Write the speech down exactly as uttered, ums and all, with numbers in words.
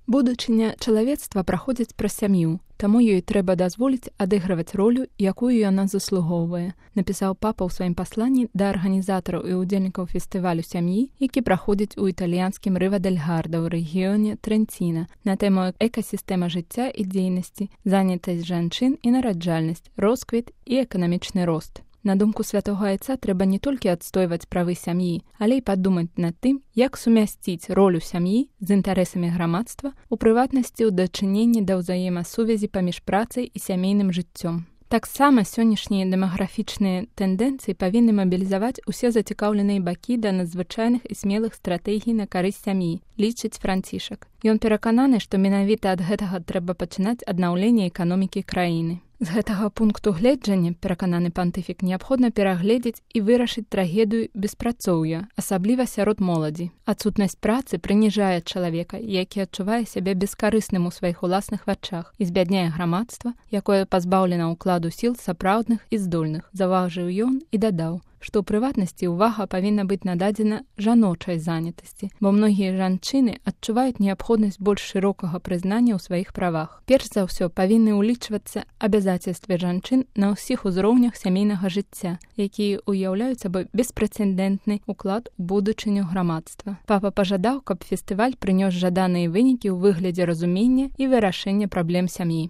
Будучыня чалавецтва праходзіць праз сям'ю, таму ёй трэба дазволіць адыгрываць ролю, якую яна заслугоўвае, напісаў папа ў сваім пасланні да арганізатараў і ўдзельнікаў фестывалю сям'і, які праходзіць у італьянскім Рыва-дель-Гарда ў рэгіёне Трэнціна на тэму экасістэма жыцця і дзейнасці, занятасць жанчын і нараджальнасць, росквіт і эканамічны рост. На думку святога айца, трэба не толькі адстойваць правы сям'і, але і падумаць над тым, як сумясціць ролю сям'і з інтарэсамі грамадства, у прыватнасці ў дачыненні да ўзаемасувязі паміж працай і сямейным жыццём. Таксама сённяшнія дэмаграфічныя тэндэнцыі павінны мабілізаваць усе зацікаўленыя бакі да надзвычайных і смелых стратэгій на карысць сям'і, лічыць Францішак. Ён перакананы, што менавіта ад гэтага трэба пачынаць аднаўленне эканомікі краіны. З гэтага пункту гледжання, перакананы пантыфік, неабходна перагледзець і вырашыць трагедыю беспрацоўя, асабліва сярод моладзі. Адсутнасць працы прыніжае чалавека, які адчувае сябе бескарысным у сваіх уласных вачах і збядняе грамадства, якое пазбаўлена ўкладу сіл сапраўдных і здольных, заўважыў ён і дадаў, што ў прыватнасці ўвага павінна быць нададзена жаночай занятасці, бо многія жанчыны адчуваюць неабходнасць больш шырокага прызнання ў сваіх правах. Перш за ўсё павінны ўлічвацца абавязацельствы жанчын на ўсіх узроўнях сямейнага жыцця, якія ўяўляюць сабой беспрэцэдэнтны ўклад у будучыню грамадства. Папа пажадаў, каб фестываль прынёс жаданыя вынікі ў выглядзе разумення і вырашэння праблем сям'і.